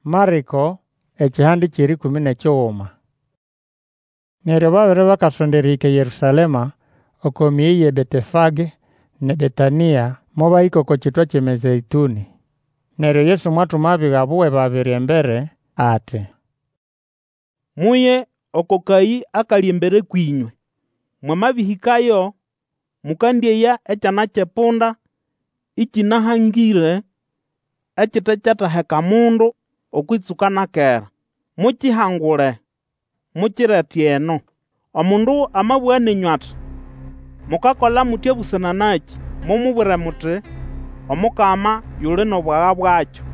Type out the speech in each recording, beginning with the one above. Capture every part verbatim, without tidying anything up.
Marĩko ekihanda ky'erĩkũmĩ n'ekiguma. Neryo babere bakasonda erĩhĩka eYerũsalema, oko mĩyĩ y'eBetefage n'eBetanĩa, mobahĩka oko kitwa ky'eMĩzeĩtũnĩ. Neryo Yesu mwatuma abiga buwe babiri embere, ati, Muye oko kayĩ akali embere kwĩnywe. Mwamabĩhĩkayo, mũkandĩeya ekyana ky'epunda ĩkĩnahangĩre, ekite kyataheka mundu okw'ĩtsũka na kera. Mukihangule, mukirete eno. Omundu amabũga nenyũ ati, Mukakola mutya busana nakĩ? Mumubwire muti, Omukama yuli n'obwaga bwakyo,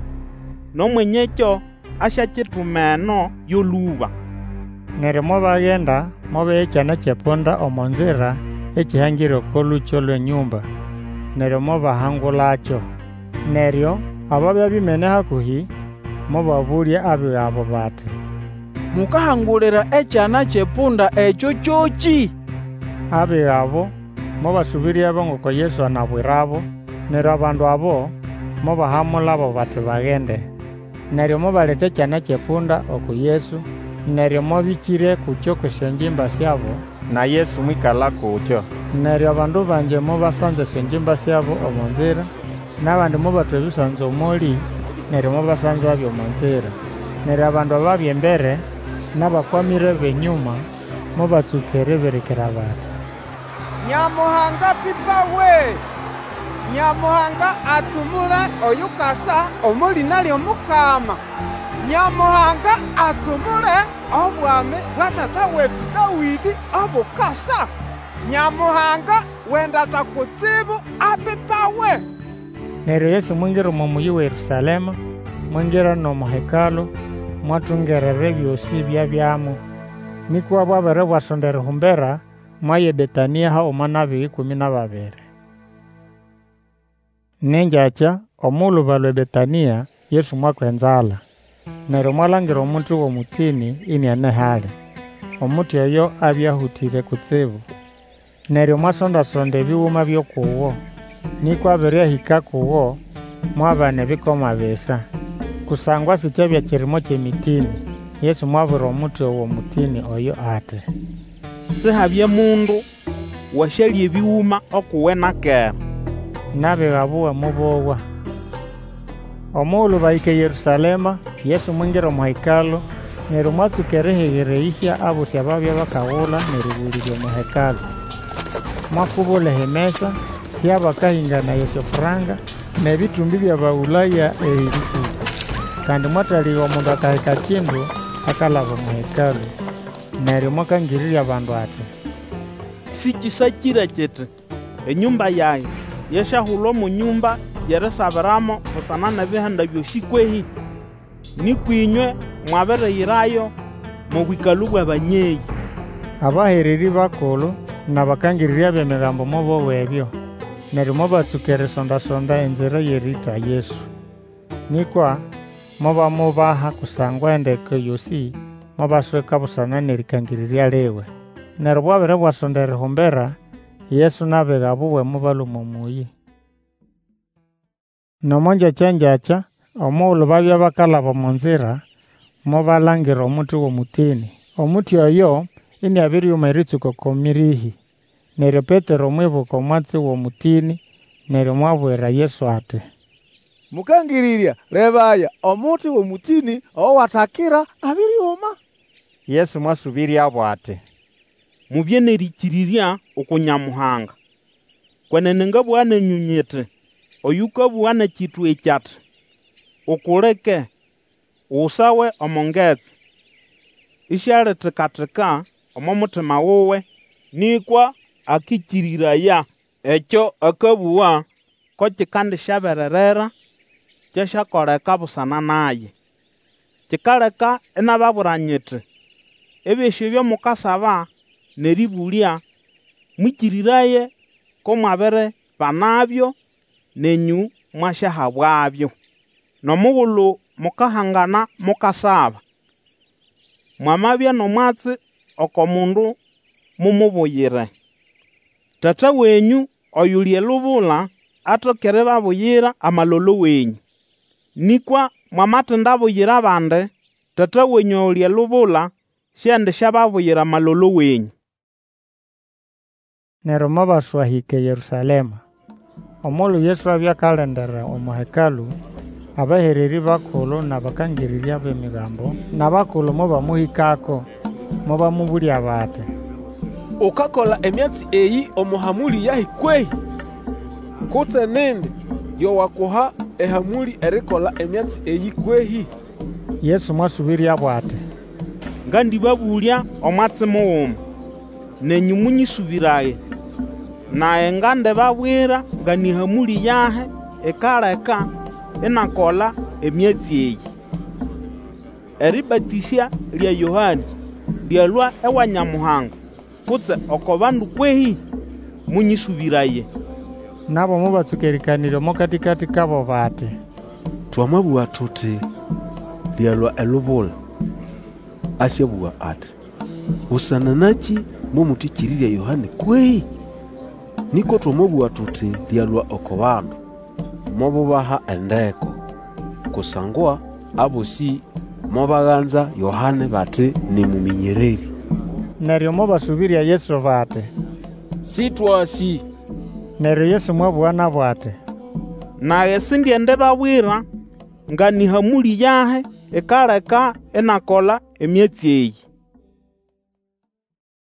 n'omwenyekyo asyakituma eno yo lũba. Neryo mobagenda, mobeya ekyana ky'epunda omo nzira ikihangĩre oko lũkyo lw'enyũmba, neryo mobahangulakyo. Neryo ababya bimene hakũhĩ mobabũlya abiga abo bati, Mukahangulira ekyana ky'epunda ekyo kyokĩ? Abiga abo mobasũbĩryabo ngoko Yesu anabwirabo, neryo abandu abo mobahamulabo bati bagende. Neryo mobaleta ekyana ky'epunda uku Yesu, neryo mobĩkĩrya kukyo kw'esyongimba syabo, na Yesu mwĩkala kukyo. Neryo abandu bangi mobasanza esyongimba syabo omo nzira, n'abandi mobatwa ebisanza omolĩ, neryo mobasanzabyo omo nzira. Neryo abandu ababya embere n'abakwamĩre b'enyũma, mobatsũka eribirikira bati, Nyamuhanga apĩpawe! Nyamuhanga atsumule oyukasa omo lĩna ly'omukama! Nyamuhanga atsumule obwami bwa tata wetu Dawĩdĩ obukasa! Nyamuhanga w'endata kutsibu apipawe! Neryo Yesu mwingira omo mũyĩ w'eYerũsalema, mwingira n'omo Hekalũ, mwatungerera ebyosĩ ebyabyamo. Nĩkwa bwabere bwasonda erihumbera, mwaya eBetanĩa haguma n'abiga ĩkũmĩ n'ababiri. N'engyakya, omugulu balũa eBetanĩa, Yesu mwakwa enzala. Neryo mwalangira omuti w'omũtĩnĩ iniane hali. Omuti oyo abya ahũtĩre kutsibu. Neryo mwasonda-sonda ebĩgũma by'ukugo. Nĩkwa abere ahĩka kugo, mwabana ebikoma bisa, kusangwa sikyabya kirimo ky'emĩtĩnĩ. Yesu mwabwira omuti w'omũtĩnĩ oyo ati, Sihabye mundu wasyalya ebĩgũma uk'uwe na kera. N'abiga buwe mobowa. Omugulu bahĩka eYerũsalema, Yesu mwingira omo Hekalũ, neryo mwatsũka erihigira eyĩhya abosĩ ababya bakagula n'erĩgũlĩrya omo Hekalũ. Mwakubula eHemesa hy'abakahĩnganaya esyofranka, n'ebĩtũmbĩ by'abagũlaya ehĩrĩkũkũ. Kandi mwatalĩga omundu akaheka kindu akalaba omo Hekalũ. Neryo mwakangĩrĩrya abandu ati, Sĩkĩsakĩre kiti, Enyũmba yage yasyahulwa mo nyũmba y'erisabiramo busana n'Ebihanda byosĩ kwehĩ? Nĩkwa ĩnywe mwabiriyirayo mo bwĩkalo bw'abanyeyĩ. Abahererĩ bakulu n'abakangĩrĩrya b'Emigambo mobowa ebyo, neryo mobatsũka erisonda-sonda enzira y'erĩĩta Yesu. Nĩkwa mobamubaha kusangwa endeko yosĩ mobasweka busana n'erĩkangĩrĩrya liwe. Neryo bwabere bwasonda erihumbera, Yesu n'abiga buwe mobalũa omo mũyĩ. Nomo ngyakya-ngyakya, omugulu babya bakalaba omo nzira, mobalangira omuti w'omũtĩnĩ. Omuti oyo iniabiriuma erĩtsũka oko mĩrĩhĩ. Neryo Petero mwibuka omwatsi w'omũtĩnĩ, neryo mwabwira Yesu ati, Mũkangĩrĩrya, lebaya, omuti w'omũtĩnĩ ogo watakira abiriuma. Yesu mwasũbĩryabo ati, Mubye n'erĩkĩrĩrya uku Nyamuhanga. Kwenene ngabũga nenyũ nyiti, Oyũkabũga n'ekitwa ekĩ ati, Ukulike, ugusawe omo ngetsi, isialitikatika omo mutima wuwe, nĩkwa akĩkĩrĩraya ekyo akabũga ko kikandisyabererera, kyasyakoleka busana naye. Kikaleka inababwira nyiti, Ebyosĩ ebyo mukasaba n'erĩbũlya, mwĩkĩrĩraye ko mwabiribanabyo, nenyũ mwasyahabwabyo. N'omugulu mukahangana mukasaba, mwamabya n'omwatsi oko mundu, mumubuyire. Tata wenyũ oyuli elubula atoke eribabuyira amalolo wenyũ. Nĩkwa Mwamatindabuyira abandi, Tata wenyũ oli elubula siendisyababuyira amalolo wenyũ. Neryo mobaswahĩka eYerũsalema. Omugulu Yesu abya akalendera omo Hekalũ, abahererĩ bakulu n'abakangĩrĩrya b'Emigambo n'abakulu mobamũhĩkako, mobamũbũlya bati, Ukakola emyatsi eyĩ omo hamũlĩ yahi kwehĩ? Kutse nindi yo wakuha ehamũlĩ erikola emyatsi eyĩ kwehĩ? Yesu mwasũbĩryabo ati, Ngandĩbabũlya omwatsi muguma, nenyũ mũnyĩsũbĩraye, nage ngandibabwira nga nĩ hamũlĩ yahi ikaleka inakola emyatsi eyĩ. Erĩbatĩsya lya Yoane lyalũa ewa Nyamuhanga kutse oko bandu kwehĩ? Mũnyĩsũbĩraye. Nabo mobatsũka erĩkanĩrya omo katĩkatĩ kabo bati, Twamabũga tuti, Lyalũa elubula, asyabũga ati, Busana nakĩ momũtĩkĩrĩrya Yoane kwehĩ? Nĩkwa twamabũga tuti, Lyalũa oko bandu, mobubaha endeko, kusangwa abosĩ mobaganza Yoane bati ni mũmĩnyererĩ. Neryo mobasũbĩrya Yesu bati, Sĩtwasĩ. Neryo Yesu mwabũga nabo ati, Nage sindiendibabwira nga nĩ hamũlĩ yahi ikaleka inakola emyatsi eyĩ.